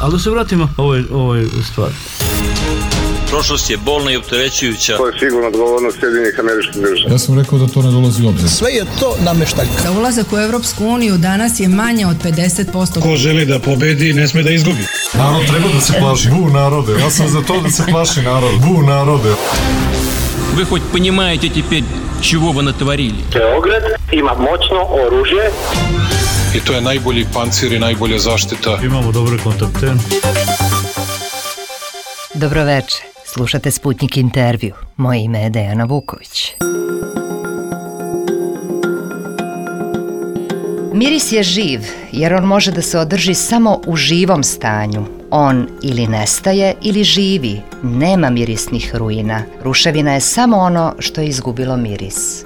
Ali da se vratimo ovoj stvari. Prošlost je bolna i opterećujuća. To je sigurno odgovornost Sjedinjenih Američkih Država. Ja sam rekao da to ne dolazi u obzir. Sve je to nameštaljka. Za ulazak u Evropsku uniju danas je manje od 50%. Ko želi da pobedi, ne sme da izgubi. Narod treba da se plaši. Bu narode. Ja sam za to da se plaši narod. Bu narode. Вы хоть понимаете теперь, чего вы натворили? Beograd ima moćno oružje. I to je najbolji pancir i najbolja zaštita. Imamo dobre kontakte. Dobroveče, slušate Sputnik intervju. Moje ime je Dejana Vuković. Miris je živ, jer on može da se održi samo u živom stanju. On ili nestaje ili živi, nema mirisnih ruina. Ruševina je samo ono što je izgubilo miris.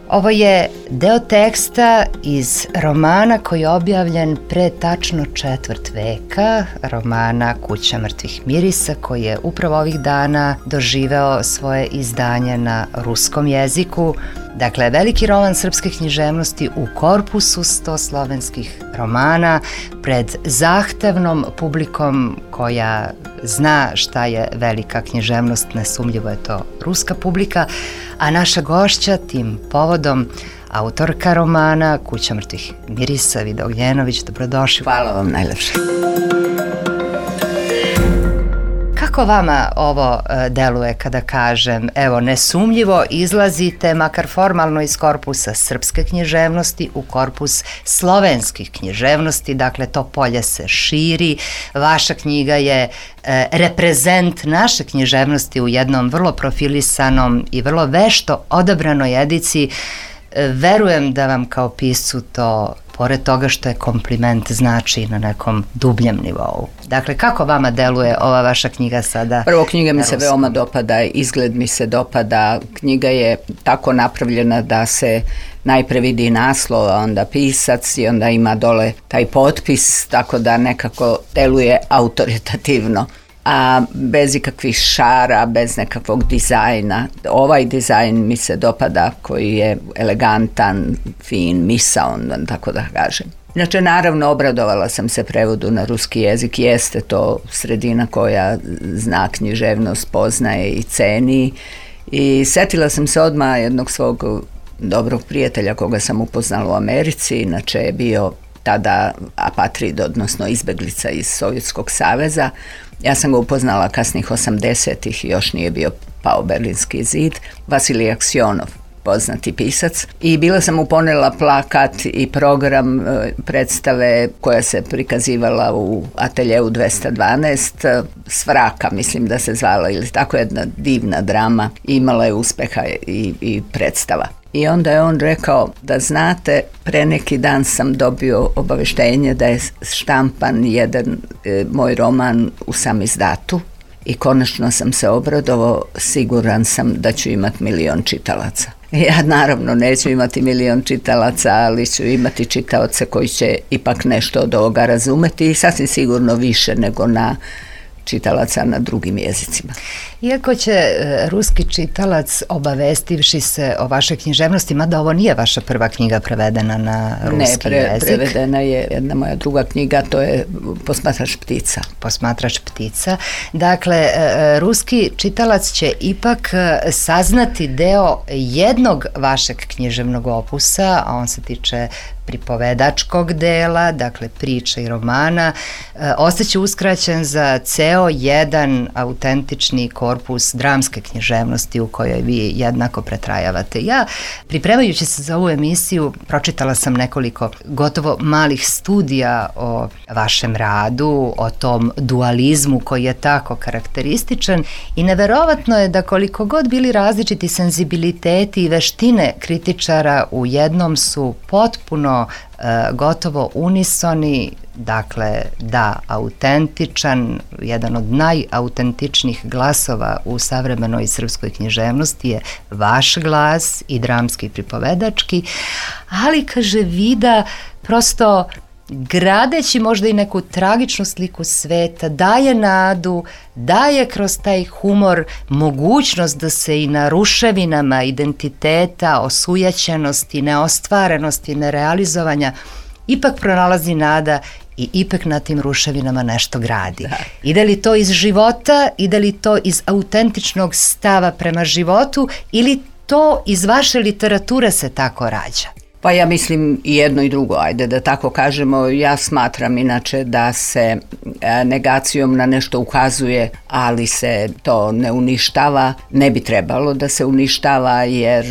Ovo je deo teksta iz romana koji je objavljen pre tačno 1/4 veka, romana Kuća mrtvih mirisa, koji je upravo ovih dana doživeo svoje izdanje na ruskom jeziku. Dakle, veliki roman srpske književnosti u korpusu 100 slovenskih romana pred zahtevnom publikom koja zna šta je velika književnost, nesumljivo je to ruska publika, a naša gošća tim povodom, autorka romana Kuća mrtvih mirisa, Vida Ognjenović, dobrodošli. Hvala vam najlepše. Kako vama ovo deluje kada kažem, evo, nesumljivo izlazite, makar formalno, iz korpusa srpske književnosti u korpus slovenskih književnosti, dakle to polje se širi, vaša knjiga je reprezent naše književnosti u jednom vrlo profilisanom i vrlo vešto odabranoj ediciji. Verujem da vam kao piscu to, pored toga što je kompliment, znači na nekom dubljem nivou. Dakle, kako vama deluje ova vaša knjiga sada? Prvo, knjiga mi se veoma dopada, izgled mi se dopada. Knjiga je tako napravljena da se najpre vidi naslov, a onda pisac i onda ima dole taj potpis, tako da nekako deluje autoritativno, a bez ikakvih šara, bez nekakvog dizajna. Ovaj dizajn mi se dopada, koji je elegantan, fin, misaon, tako da kažem. Inače, naravno, obradovala sam se prevodu na ruski jezik, jeste to sredina koja zna književnost, poznaje i ceni, i setila sam se odmah jednog svog dobrog prijatelja koga sam upoznala u Americi, inače je bio tada apatrid, odnosno izbeglica iz Sovjetskog saveza. Ja sam ga upoznala kasnih 80-ih, još nije bio pao Berlinski zid. Vasilij Aksionov, poznati pisac. I bila sam mu ponela plakat i program predstave koja se prikazivala u ateljeu 212, Svraka, mislim da se zvala, ili tako jedna divna drama. Imala je uspeha i predstava. I onda je on rekao, da znate, pre neki dan sam dobio obaveštenje da je štampan jedan moj roman u samizdatu i konačno sam se obradovao, siguran sam da ću imati 1 milion čitalaca. Ja naravno neću imati 1 milion čitalaca, ali ću imati čitaoce koji će ipak nešto od ovoga razumeti i sasvim sigurno više nego na čitalaca na drugim jezicima. Iako će ruski čitalac, obavestivši se o vašoj književnosti, mada ovo nije vaša prva knjiga prevedena na ruski jezik. Ne, prevedena je jedna moja druga knjiga, to je Posmatrač ptica. Posmatrač ptica. Dakle, ruski čitalac će ipak saznati deo jednog vašeg književnog opusa, a on se tiče pripovedačkog dela, dakle priča i romana, ostaće uskraćen za ceo jedan autentični korpus dramske književnosti u kojoj vi jednako pretrajavate. Ja, pripremajući se za ovu emisiju, pročitala sam nekoliko gotovo malih studija o vašem radu, o tom dualizmu koji je tako karakterističan, i neverovatno je da koliko god bili različiti senzibiliteti i veštine kritičara, u jednom su potpuno gotovo unisoni. Dakle, da, autentičan, jedan od najautentičnijih glasova u savremenoj srpskoj književnosti je vaš glas, i dramski i pripovedački, ali, kaže Vida, prosto gradeći možda i neku tragičnu sliku sveta, daje nadu, daje kroz taj humor mogućnost da se i na ruševinama identiteta, osujećenosti, neostvarenosti, nerealizovanja ipak pronalazi nada i ipak na tim ruševinama nešto gradi. Ide li to iz života, ide li to iz autentičnog stava prema životu ili to iz vaše literature se tako rađa? Pa ja mislim i jedno i drugo, ajde da tako kažemo. Ja smatram inače da se negacijom na nešto ukazuje, ali se to ne uništava. Ne bi trebalo da se uništava jer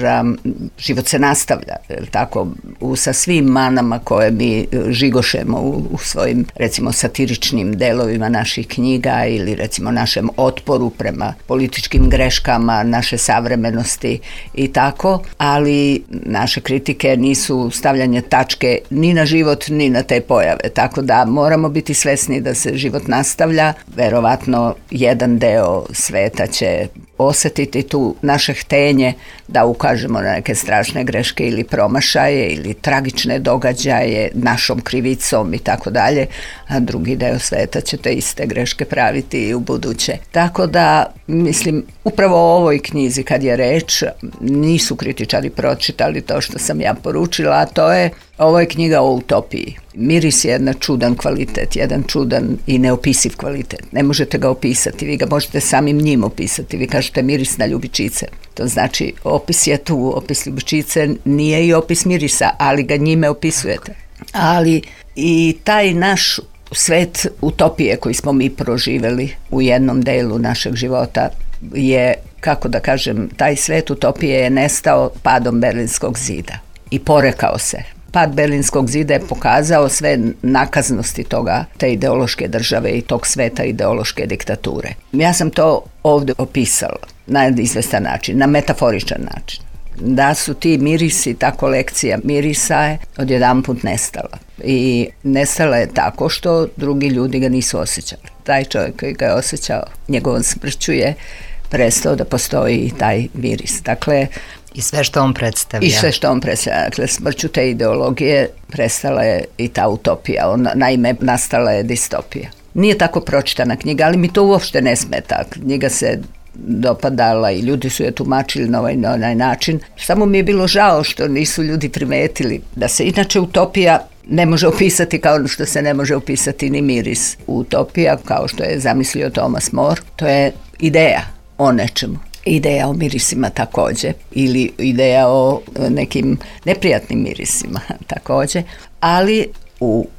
život se nastavlja, tako, sa svim manama koje mi žigošemo u svojim, recimo, satiričnim delovima naših knjiga ili recimo našem otporu prema političkim greškama naše savremenosti i tako, ali naše kritike nisu stavljanje tačke ni na život ni na te pojave, tako da moramo biti svesni da se život nastavlja. Verovatno jedan deo sveta će osetiti tu naše htenje da ukažemo na neke strašne greške ili promašaje ili tragične događaje našom krivicom i tako dalje, a drugi deo sveta će te iste greške praviti i u buduće. Tako da, mislim, upravo o ovoj knjizi kad je reč, nisu kritičari pročitali to što sam ja poručila, a to je, ovo je knjiga o utopiji. Miris je jedan čudan kvalitet, jedan čudan i neopisiv kvalitet. Ne možete ga opisati, vi ga možete samim njim opisati. Vi kažete miris na ljubičice. To znači, opis je tu, opis ljubičice nije i opis mirisa, ali ga njime opisujete. Ali i taj naš svet utopije koji smo mi proživeli u jednom delu našeg života je, kako da kažem, taj svet utopije je nestao padom Berlinskog zida i porekao se. Pad Berlinskog zida je pokazao sve nakaznosti toga, te ideološke države i tog sveta ideološke diktature. Ja sam to ovdje opisala na izvestan način, na metaforičan način. Da su ti mirisi, ta kolekcija mirisa je odjedanput nestala. I nestala je tako što drugi ljudi ga nisu osjećali. Taj čovjek koji ga je osjećao, njegovom smrću je prestao da postoji i taj miris. Dakle, i sve što on predstavlja. I sve što on predstavlja. Dakle, smrću te ideologije prestala je i ta utopija. Naime, nastala je distopija. Nije tako pročitana knjiga, ali mi to uopšte ne smeta. Knjiga se dopadala i ljudi su je tumačili na onaj način. Samo mi je bilo žao što nisu ljudi primetili da se inače utopija ne može opisati kao što se ne može opisati ni miris. Utopija, kao što je zamislio Thomas More, to je ideja o nečemu. Ideja o mirisima također, ili ideja o nekim neprijatnim mirisima također, ali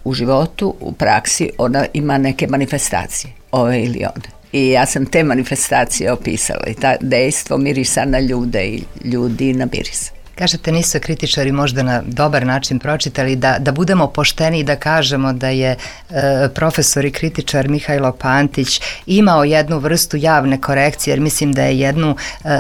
u životu, u praksi ona ima neke manifestacije, ove ili one. I ja sam te manifestacije opisala i ta dejstvo mirisa na ljude i ljudi na miris. Kažete, nisu kritičari možda na dobar način pročitali, da budemo pošteni i da kažemo da je profesor i kritičar Mihajlo Pantić imao jednu vrstu javne korekcije, jer mislim da je jednu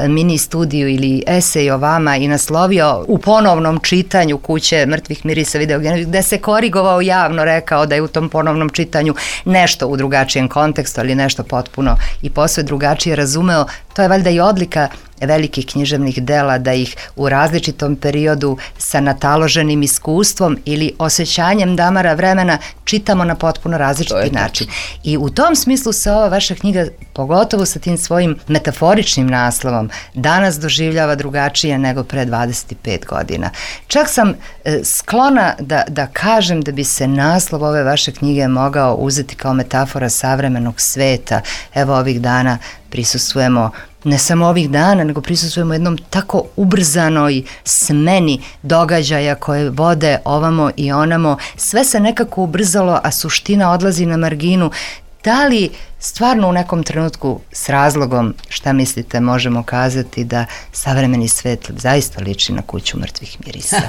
mini studiju ili esej o vama i naslovio u ponovnom čitanju Kuće mrtvih mirisa videogenova, gde se korigovao javno, rekao da je u tom ponovnom čitanju nešto u drugačijem kontekstu, ali nešto potpuno i posve drugačije razumeo. To je valjda i odlika velikih književnih dela, da ih u različitom periodu sa nataloženim iskustvom ili osjećanjem damara vremena čitamo na potpuno različiti način. I u tom smislu se ova vaša knjiga, pogotovo sa tim svojim metaforičnim naslovom, danas doživljava drugačije nego pre 25 godina. Čak sam sklona da kažem da bi se naslov ove vaše knjige mogao uzeti kao metafora savremenog sveta. Evo, ovih dana prisustvujemo, ne samo ovih dana, nego prisustvujemo jednom tako ubrzanoj smeni događaja koje vode ovamo i onamo. Sve se nekako ubrzalo, a suština odlazi na marginu. Da li stvarno u nekom trenutku s razlogom, šta mislite, možemo kazati da savremeni svet zaista liči na Kuću mrtvih mirisa?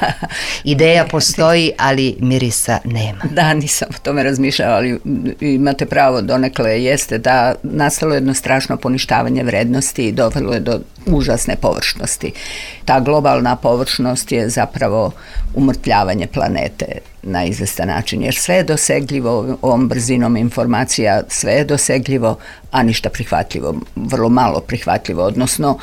Ideja postoji, ali mirisa nema. Da, nisam o tome razmišljala, ali imate pravo, donekle jeste da nastalo jedno strašno poništavanje vrednosti i dovelo je do užasne površnosti. Ta globalna površnost je zapravo umrtljavanje planete na izvestan način, jer sve je dosegljivo ovom brzinom informacija, sve je dosegljivo, a ništa prihvatljivo, vrlo malo prihvatljivo, odnosno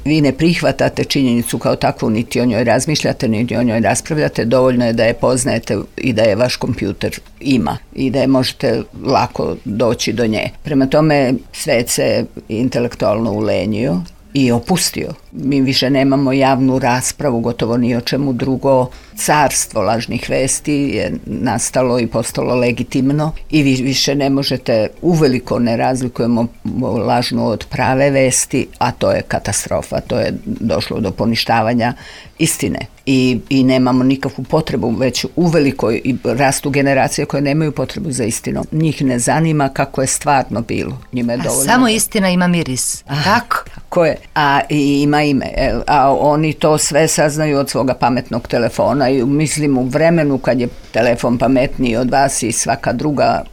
vi ne prihvatate činjenicu kao takvu, niti o njoj razmišljate, niti o njoj raspravljate, dovoljno je da je poznajete i da je vaš kompjuter ima i da je možete lako doći do nje. Prema tome, svet se intelektualno ulenjio i opustio. Mi više nemamo javnu raspravu, gotovo ni o čemu drugo. Carstvo lažnih vesti je nastalo i postalo legitimno i vi više ne možete, uveliko ne razlikujemo lažnu od prave vesti, a to je katastrofa, to je došlo do poništavanja istine. I nemamo nikakvu potrebu, već uveliko i rastu generacije koje nemaju potrebu za istinom. Njih ne zanima kako je stvarno bilo. Njima je dovoljno. Samo istina ima miris. Tako? Tako je. A i ima ime. A oni to sve saznaju od svoga pametnog telefona i mislim u vremenu kad je telefon pametniji od vas i svaka druga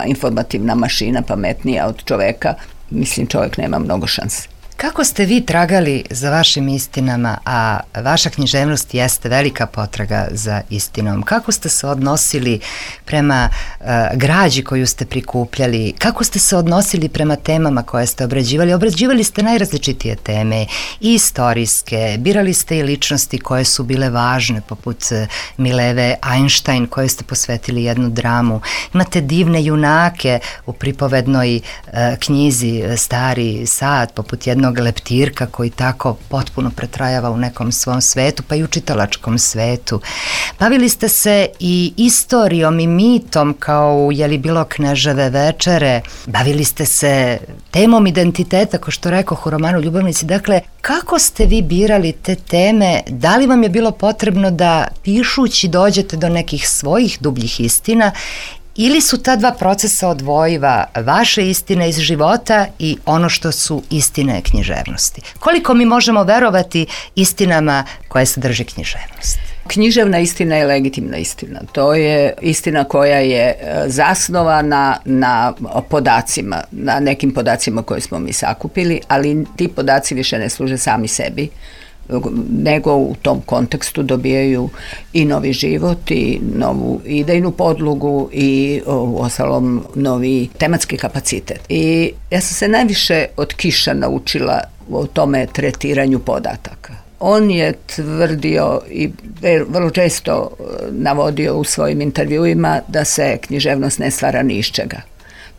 informativna mašina pametnija od čoveka, mislim čovjek nema mnogo šanse. Kako ste vi tragali za vašim istinama, a vaša književnost jeste velika potraga za istinom? Kako ste se odnosili prema građi koju ste prikupljali? Kako ste se odnosili prema temama koje ste obrađivali? Obrađivali ste najrazličitije teme, i istorijske, birali ste i ličnosti koje su bile važne, poput Mileve Einstein, koje ste posvetili jednu dramu. Imate divne junake u pripovednoj knjizi Stari sad, poput jednog leptirka koji tako potpuno pretrajava u nekom svom svetu, pa i u čitalačkom svetu. Bavili ste se i istorijom i mitom kao u Jeli bilo Kneževe večere. Bavili ste se temom identiteta, kao što rekoh u romanu Ljubavnici. Dakle, kako ste vi birali te teme? Da li vam je bilo potrebno da pišući dođete do nekih svojih dubljih istina, ili su ta dva procesa odvojiva, vaše istine iz života i ono što su istine književnosti? Koliko mi možemo verovati istinama koje sadrži književnost? Književna istina je legitimna istina. To je istina koja je zasnovana na podacima, na nekim podacima koje smo mi sakupili, ali ti podaci više ne služe sami sebi, nego u tom kontekstu dobijaju i novi život i novu idejnu podlogu i uostalom novi tematski kapacitet. I ja sam se najviše od Kiša naučila o tome tretiranju podataka. On je tvrdio i vrlo često navodio u svojim intervjuima da se književnost ne stvara ni iz čega.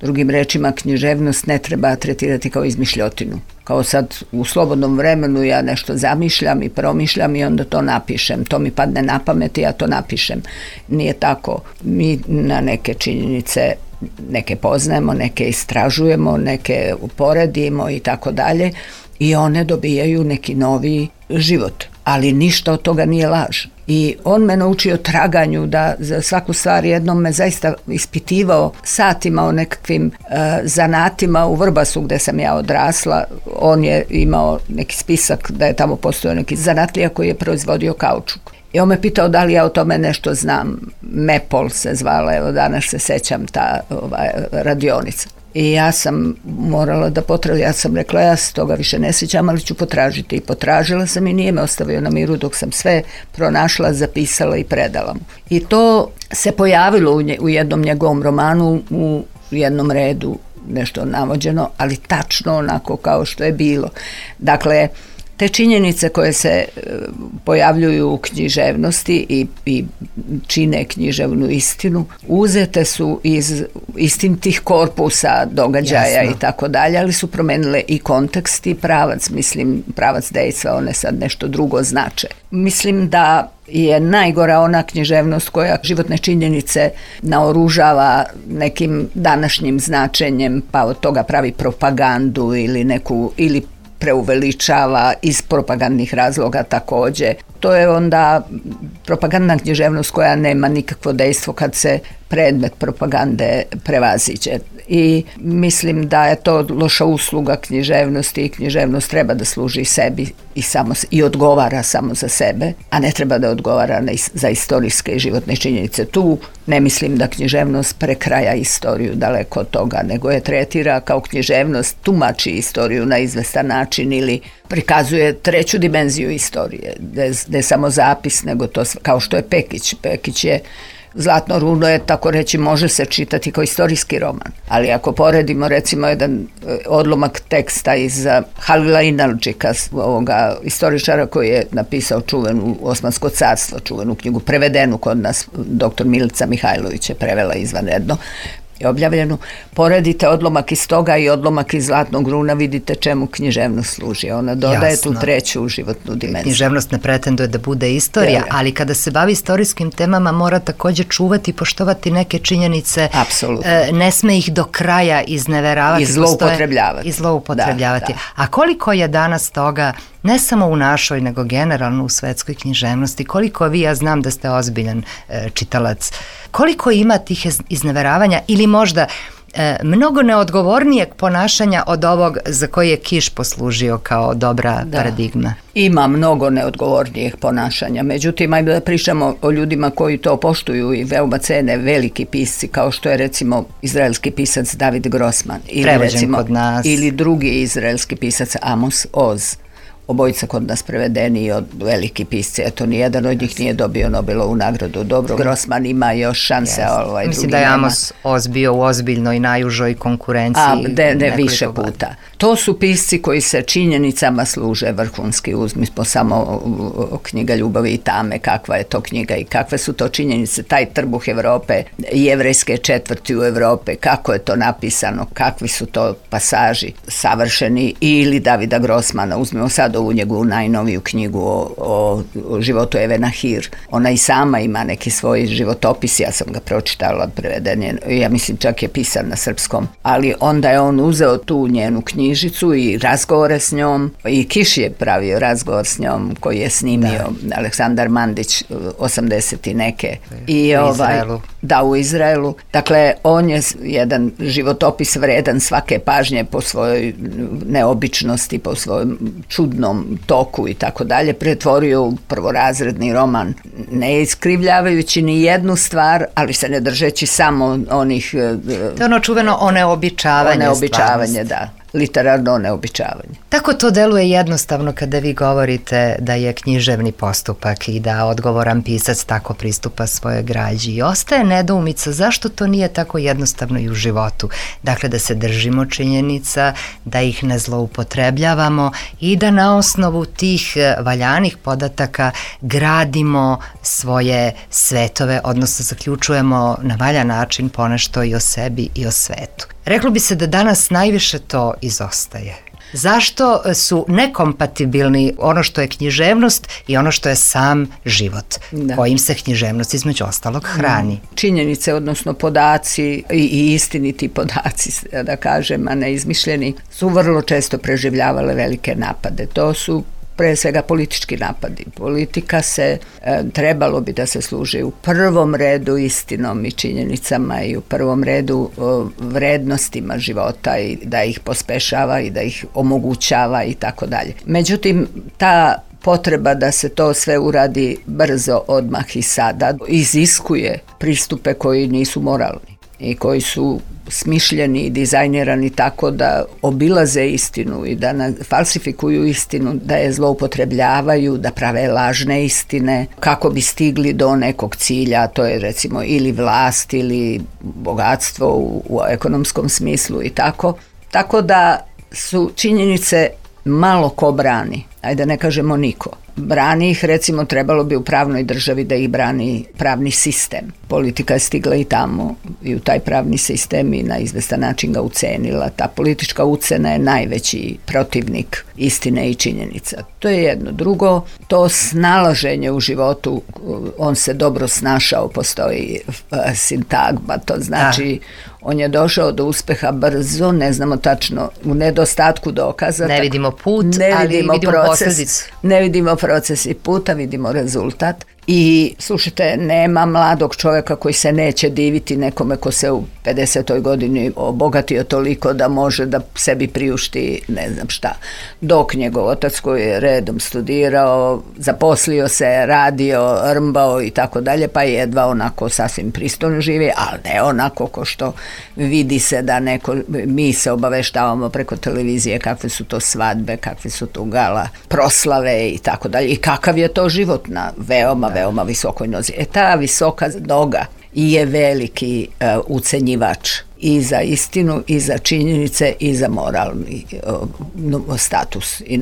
Drugim rečima, književnost ne treba tretirati kao izmišljotinu. Kao sad u slobodnom vremenu ja nešto zamišljam i promišljam i onda to napišem. To mi padne na pamet i ja to napišem. Nije tako. Mi na neke činjenice neke poznajemo, neke istražujemo, neke uporedimo i tako dalje i one dobijaju neki novi život. Ali ništa od toga nije laž. I on me naučio traganju, da za svaku stvar jednom me zaista ispitivao satima o nekakvim zanatima u Vrbasu gde sam ja odrasla. On je imao neki spisak da je tamo postojao neki zanatlija koji je proizvodio kaučuk. I on me pitao da li ja o tome nešto znam. Mepol se zvala, evo danas se sećam ta radionica. I ja sam morala da potražim, ja sam rekla ja se toga više ne sjećam, ali ću potražiti. I potražila sam i nije me ostavio na miru dok sam sve pronašla, zapisala i predala mu. I to se pojavilo u jednom njegovom romanu, u jednom redu, nešto navođeno, ali tačno onako kao što je bilo. Dakle, te činjenice koje se pojavljuju u književnosti i čine književnu istinu, uzete su iz istinitih korpusa događaja i tako dalje, ali su promenile i kontekst i pravac, mislim, pravac dejstva, one sad nešto drugo znače. Mislim da je najgora ona književnost koja životne činjenice naoružava nekim današnjim značenjem, pa od toga pravi propagandu ili preuveličava iz propagandnih razloga takođe. To je onda propagandna književnost koja nema nikakvo dejstvo kad se predmet propagande prevaziđe. I mislim da je to loša usluga književnosti i književnost treba da služi sebi i odgovara samo za sebe, a ne treba da odgovara za istorijske i životne činjenice. Tu ne mislim da književnost prekraja istoriju, daleko od toga, nego je tretira kao književnost, tumači istoriju na izvestan način ili prikazuje treću dimenziju istorije, da je samo zapis, nego to kao što je Pekić. Pekić je Zlatno runo je, tako reći, može se čitati kao istorijski roman. Ali ako poredimo recimo jedan odlomak teksta iz Halila Inalčika, ovoga istoričara koji je napisao čuvenu Osmansko carstvo, čuvenu knjigu, prevedenu kod nas, doktor Milica Mihajlović je prevela izvanredno, je objavljeno. Poredite odlomak iz toga i odlomak iz Zlatnog runa, vidite čemu književnost služi. Ona dodaje tu treću životnu dimenziju. Književnost ne pretenduje da bude istorija, ali kada se bavi istorijskim temama mora također čuvati i poštovati neke činjenice. Apsolutno. Ne sme ih do kraja izneveravati. I zloupotrebljavati. A koliko je danas toga, ne samo u našoj, nego generalno u svetskoj književnosti, koliko vi, ja znam da ste ozbiljan čitalac, koliko ima tih izneveravanja ili možda mnogo neodgovornijeg ponašanja od ovog za koji je Kiš poslužio kao dobra paradigma? Ima mnogo neodgovornijeg ponašanja, međutim, ajde da pričamo o ljudima koji to poštuju i veoma cene, veliki pisci, kao što je recimo izraelski pisac David Grossman. Prevođen kod nas. Ili drugi izraelski pisac Amos Oz. Obojica kod nas prevedeni od veliki pisci, eto nijedan od njih nije dobio Nobelovu nagradu. Dobro, Grossman ima još šanse, drugi mislim da je Amos Oz bio u ozbiljnoj najužoj konkurenciji. Ne više puta. To su pisci koji se činjenicama služe vrhunski. Uzmimo samo knjiga Ljubavi i tame, kakva je to knjiga i kakve su to činjenice, taj trbuh Evrope, jevrejske četvrti u Evrope, kako je to napisano, kakvi su to pasaži savršeni. Ili Davida Grossmana, uzmimo sad ovu njegovu najnoviju knjigu o životu Eve Nahir. Ona i sama ima neki svoj životopis, ja sam ga pročitala, preveden je, ja mislim čak je pisan na srpskom, ali onda je on uzeo tu njenu knjižicu i razgovore s njom, i Kiš je pravio razgovor s njom koji je snimio Aleksandar Mandić 80 i neke. I u Izraelu. Dakle, on je jedan životopis vredan svake pažnje po svojoj neobičnosti, po svojom čudnom toku i tako dalje, pretvorio u prvorazredni roman, ne iskrivljavajući ni jednu stvar, ali se ne držeći samo onih... To je ono čuveno oneobičavanje, da. Literarno neobičavanje. Tako to deluje jednostavno kada vi govorite da je književni postupak i da odgovoran pisac tako pristupa svojoj građi. I ostaje nedoumica zašto to nije tako jednostavno i u životu. Dakle, da se držimo činjenica, da ih ne zloupotrebljavamo i da na osnovu tih valjanih podataka gradimo svoje svetove, odnosno zaključujemo na valjan način ponešto i o sebi i o svetu. Reklo bi se da danas najviše to izostaje. Zašto su nekompatibilni ono što je književnost i ono što je sam život, kojim se književnost između ostalog hrani? Činjenice, odnosno podaci i istiniti podaci, da kažem, a ne izmišljeni, su vrlo često preživljavale velike napade. To su pre svega politički napadi. Politika se, trebalo bi da se služi u prvom redu istinom i činjenicama i u prvom redu vrednostima života i da ih pospešava i da ih omogućava i tako dalje. Međutim, ta potreba da se to sve uradi brzo, odmah i sada iziskuje pristupe koji nisu moralni i koji su smišljeni i dizajnirani tako da obilaze istinu i da falsifikuju istinu, da je zloupotrebljavaju, da prave lažne istine kako bi stigli do nekog cilja, to je recimo ili vlast ili bogatstvo u ekonomskom smislu i tako. Tako da su činjenice malo ko brani, ajde ne kažemo niko. Brani ih, recimo, trebalo bi u pravnoj državi da ih brani pravni sistem. Politika je stigla i tamo i u taj pravni sistem i na izvestan način ga ucenila. Ta politička ucena je najveći protivnik istine i činjenica. To je jedno. Drugo, to snalaženje u životu, on se dobro snašao, postoji sintagma, to znači on je došao do uspeha brzo, ne znamo tačno, u nedostatku dokaza. Ne vidimo put, ali vidimo posljedicu. Ne vidimo proces i puta, vidimo rezultat. I slušajte, nema mladog čovjeka koji se neće diviti nekome ko se u 50. godini obogatio toliko da može da sebi priušti ne znam šta. Dok njegov otac koji je redom studirao, zaposlio se, radio, rmbao i tako dalje, pa jedva onako sasvim pristojno živi, ali ne onako ko što vidi se da neko, mi se obaveštavamo preko televizije kakve su to svadbe, kakve su to gala, proslave i tako dalje. I kakav je to život na veoma visokoj nozi. Ta visoka noga je veliki ucenjivač i za istinu, i za činjenice, i za moralni status i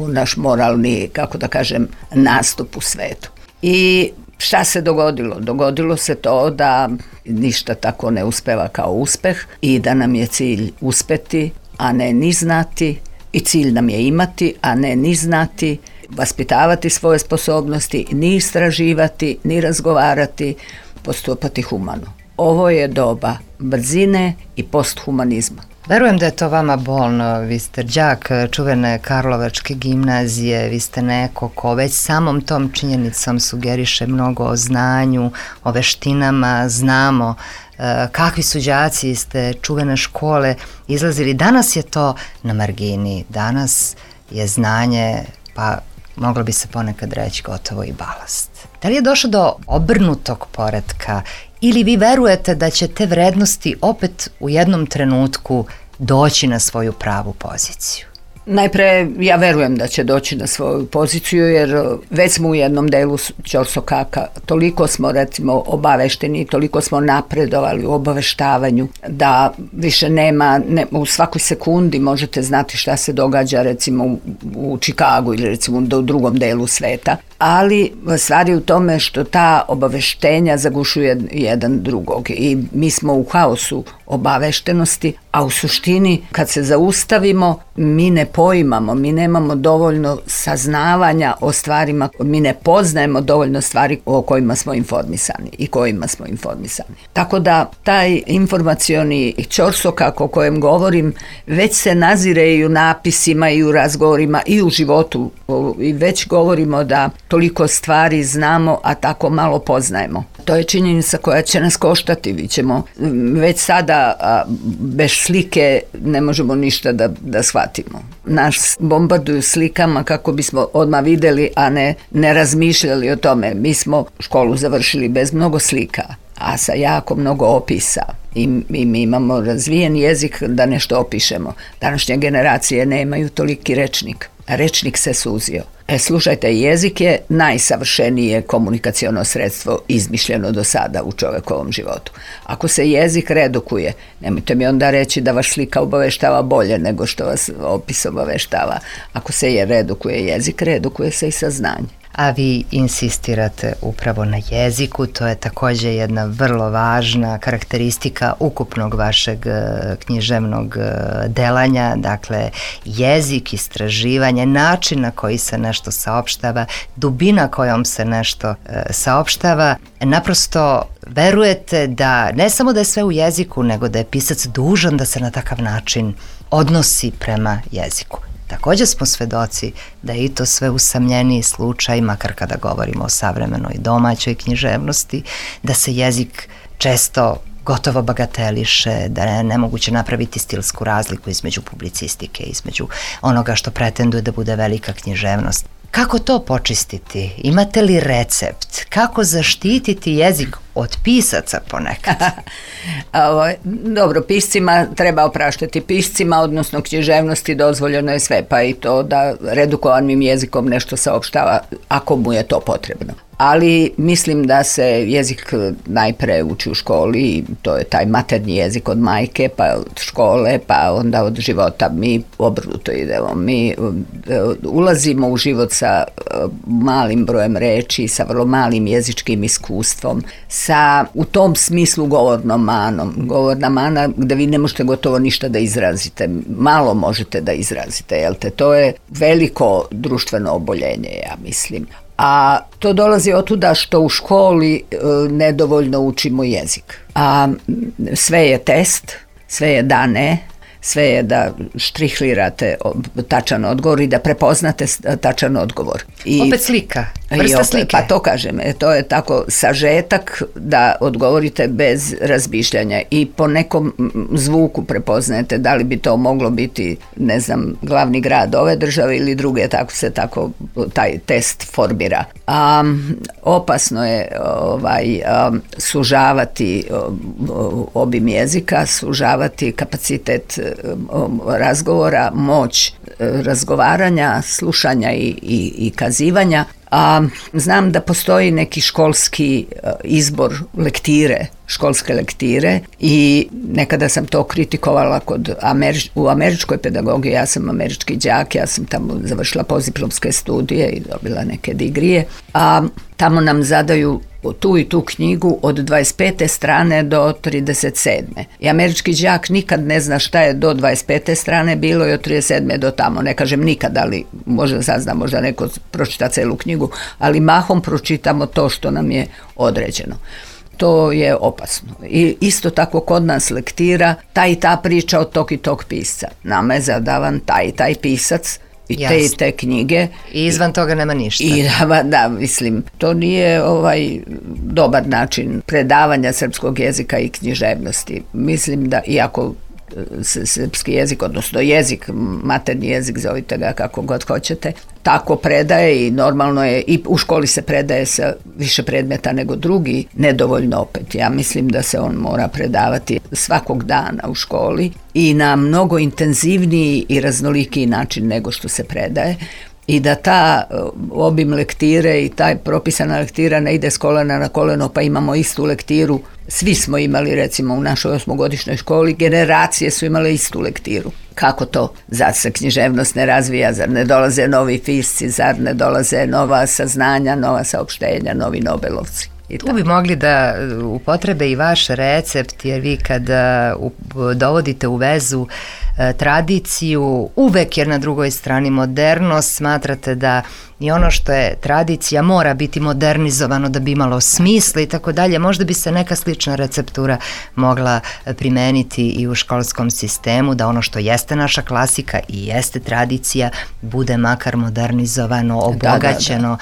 naš moralni, kako da kažem, nastup u svetu. I Šta se dogodilo? Dogodilo se to da ništa tako ne uspeva kao uspeh i da nam je cilj uspeti, a ne ni znati, i cilj nam je imati, a ne ni znati, vaspitavati svoje sposobnosti, ni istraživati, ni razgovarati, postupati humano. Ovo je doba brzine i posthumanizma. Verujem da je to vama bolno, vi ste đak čuvene Karlovačke gimnazije, vi ste neko ko već samom tom činjenicom sugeriše mnogo o znanju, o veštinama, znamo kakvi su đaci iz te čuvene škole izlazili. Danas je to na margini, danas je znanje, pa moglo bi se ponekad reći gotovo i balast. Da li je došlo do obrnutog poretka ili vi verujete da će te vrednosti opet u jednom trenutku doći na svoju pravu poziciju? Najpre, ja verujem da će doći na svoju poziciju, jer već smo u jednom delu ćorsokaka, toliko smo recimo obavešteni, toliko smo napredovali u obaveštavanju, da više nema, u svakoj sekundi možete znati šta se događa recimo u Čikagu ili recimo u drugom delu sveta, ali stvar je u tome što ta obaveštenja zagušuje jedan drugog i mi smo u haosu obaveštenosti, a u suštini kad se zaustavimo mi ne poimamo, mi nemamo dovoljno saznavanja o stvarima, mi ne poznajemo dovoljno stvari o kojima smo informisani i kojima smo informisani. Tako da taj informacioni ćorsokak o kojem govorim već se nazire i u napisima i u razgovorima i u životu i već govorimo da toliko stvari znamo, a tako malo poznajemo. To je činjenica koja će nas koštati, vi ćemo već sada bez slike ne možemo ništa da shvatimo. Nas bombarduju slikama kako bismo odmah videli, a ne razmišljali o tome. Mi smo školu završili bez mnogo slika, a sa jako mnogo opisa. I mi imamo razvijen jezik da nešto opišemo. Današnje generacije nemaju toliki rečnik. Rečnik se suzio. Slušajte, jezik je najsavršenije komunikaciono sredstvo izmišljeno do sada u čovekovom životu. Ako se jezik redukuje, nemojte mi onda reći da vaš slika obaveštava bolje nego što vas opis obaveštava. Ako se redukuje jezik, redukuje se i saznanje. A vi insistirate upravo na jeziku, to je također jedna vrlo važna karakteristika ukupnog vašeg književnog delanja, dakle jezik, istraživanje, način na koji se nešto saopštava, dubina kojom se nešto saopštava. Naprosto verujete da ne samo da je sve u jeziku, nego da je pisac dužan da se na takav način odnosi prema jeziku. Također smo svedoci da je i to sve usamljeniji slučaj, makar kada govorimo o savremenoj domaćoj književnosti, da se jezik često gotovo bagateliše, da je nemoguće napraviti stilsku razliku između publicistike, između onoga što pretenduje da bude velika književnost. Kako to počistiti? Imate li recept? Kako zaštititi jezik od pisaca ponekad? Dobro, piscima treba opraštati. Piscima, odnosno književnosti, dozvoljeno je sve, pa i to da redukovanim jezikom nešto saopštava ako mu je to potrebno. Ali mislim da se jezik najpre uči u školi, to je taj maternji jezik od majke, pa od škole, pa onda od života. Mi obrnuto idemo, mi ulazimo u život sa malim brojem reči, sa vrlo malim jezičkim iskustvom, sa u tom smislu govornom manom. Govorna mana gde vi ne možete gotovo ništa da izrazite, malo možete da izrazite, jel te? To je veliko društveno oboljenje, ja mislim. A to dolazi od tuda što u školi nedovoljno učimo jezik. A sve je test, sve je da ne, sve je da štrihlirate tačan odgovor i da prepoznate tačan odgovor. Opet slika, vrsta slike. Pa to kažem, to je tako sažetak da odgovorite bez razmišljanja i po nekom zvuku prepoznajete da li bi to moglo biti, ne znam, glavni grad ove države ili druge, tako se taj test formira. Opasno je sužavati obim jezika, sužavati kapacitet razgovora, moć razgovaranja, slušanja i kazivanja. Znam da postoji neki školski izbor lektire, školske lektire i nekada sam to kritikovala u američkoj pedagogiji. Ja sam američki đak, ja sam tamo završila postdiplomske studije i dobila neke digrije, a tamo nam zadaju tu i tu knjigu od 25. strane do 37. I američki đak nikad ne zna šta je do 25. strane bilo i od 37. do tamo. Ne kažem nikad, ali možda sazna, možda neko pročita celu knjigu, ali mahom pročitamo to što nam je određeno. To je opasno. I isto tako kod nas lektira ta i ta priča od tog i tog pisca. Nama je zadavan taj i taj pisac i te i te knjige. I izvan toga nema ništa. Da, mislim, to nije dobar način predavanja srpskog jezika i književnosti. Mislim da, iako srpski jezik, odnosno jezik, materni jezik, zovite ga kako god hoćete, tako predaje i normalno je, i u školi se predaje sa više predmeta nego drugi, nedovoljno opet. Ja mislim da se on mora predavati svakog dana u školi i na mnogo intenzivniji i raznolikiji način nego što se predaje. I da ta obim lektire i taj propisana lektira ne ide s kolena na koleno, pa imamo istu lektiru. Svi smo imali, recimo, u našoj 8-godišnjoj školi, generacije su imale istu lektiru. Kako to? Zar se književnost ne razvija? Zar ne dolaze novi pisci? Zar ne dolaze nova saznanja, nova saopštenja, novi Nobelovci? Tu bi mogli da upotrebe i vaš recept, jer vi kada dovodite u vezu tradiciju, uvek, jer na drugoj strani modernost, smatrate da i ono što je tradicija mora biti modernizovano da bi imalo smisla i tako dalje. Možda bi se neka slična receptura mogla primeniti i u školskom sistemu, da ono što jeste naša klasika i jeste tradicija bude makar modernizovano, obogaćeno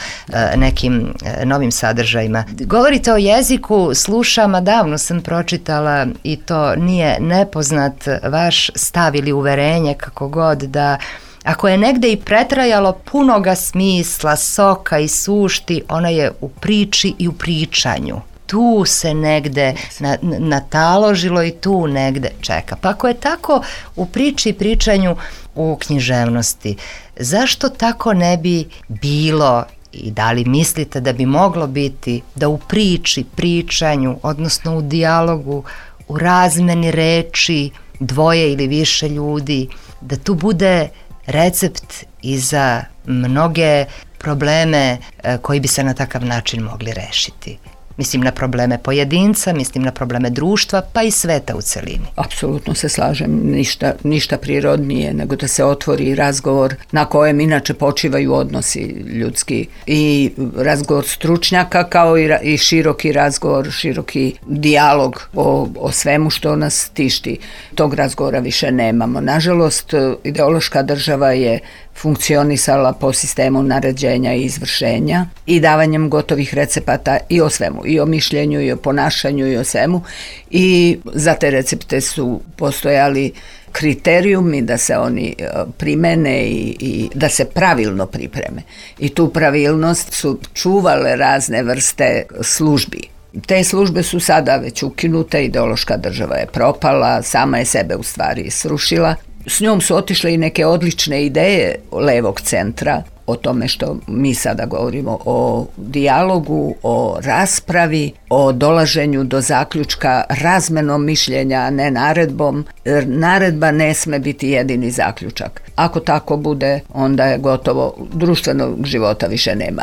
nekim novim sadržajima. Govorite o jeziku, slušam, a davno sam pročitala i to nije nepoznat vaš stav ili uverenje, kako god, da ako je negde i pretrajalo punoga smisla, soka i sušti, ona je u priči i u pričanju. Tu se negde nataložilo i tu negde čeka. Pa ako je tako u priči i pričanju u književnosti, zašto tako ne bi bilo i da li mislite da bi moglo biti da u priči, pričanju, odnosno u dijalogu, u razmeni reči dvoje ili više ljudi, da tu bude recept i za mnoge probleme koji bi se na takav način mogli rešiti? Mislim na probleme pojedinca, mislim na probleme društva, pa i sveta u celini. Apsolutno se slažem, ništa prirodnije nego da se otvori razgovor na kojem inače počivaju odnosi ljudski i razgovor stručnjaka kao i široki razgovor, široki dijalog o svemu što nas tišti. Tog razgovora više nemamo. Nažalost, ideološka država je funkcionisala po sistemu naređenja i izvršenja i davanjem gotovih recepata i o svemu, i o mišljenju, i o ponašanju, i o svemu. I za te recepte su postojali kriterijumi da se oni primene i da se pravilno pripreme. I tu pravilnost su čuvale razne vrste službi. Te službe su sada već ukinute, ideološka država je propala, sama je sebe u stvari srušila. S njom su otišle i neke odlične ideje levog centra o tome što mi sada govorimo, o dijalogu, o raspravi, o dolaženju do zaključka razmenom mišljenja, a ne naredbom. Naredba ne sme biti jedini zaključak. Ako tako bude, onda je gotovo, društvenog života više nema.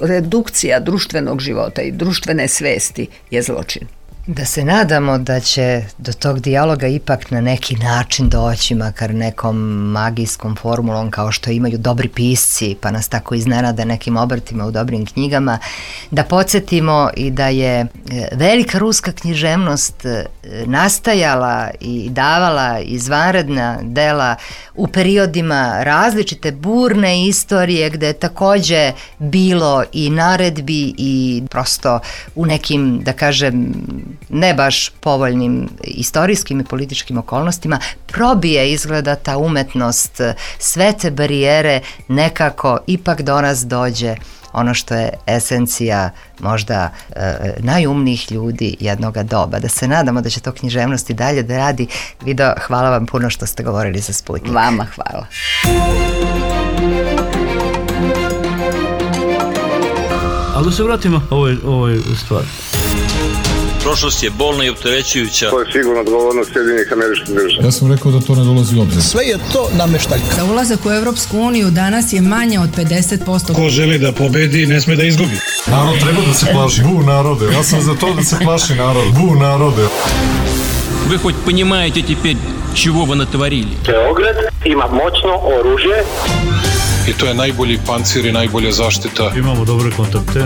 Redukcija društvenog života i društvene svesti je zločin. Da se nadamo da će do tog dijaloga ipak na neki način doći, makar nekom magijskom formulom kao što imaju dobri pisci, pa nas tako iznenade nekim obrtima u dobrim knjigama, da podsjetimo i da je velika ruska književnost nastajala i davala izvanredna dela u periodima različite burne istorije gde je takođe bilo i naredbi i prosto u nekim, da kažem, ne baš povoljnim istorijskim i političkim okolnostima probije izgleda ta umetnost, sve te barijere nekako ipak do nas dođe ono što je esencija možda najumnijih ljudi jednoga doba. Da se nadamo da će to književnost i dalje da radi. Vido, hvala vam puno što ste govorili za Sputnik. Vama hvala. Ali da se vratimo ovoj stvari. Prošlost je bolna i opterećujuća. To je sigurno odgovornost Sjedinjenih Američkih Država. Ja sam rekao da to ne dolazi u obzir. Sve je to nameštaljka. Za ulazak u Europsku uniju danas je manje od 50%. Ko želi da pobedi, ne sme da izgubi. Narod treba da se plaši. Bu narode, ja sam za to da se plaši narod. Bu narode. Вы хоть понимаете теперь, чего вы натворили? Beograd ima moćno oružje. I to je najbolji pancir i najbolja zaštita. Imamo dobre kontakte.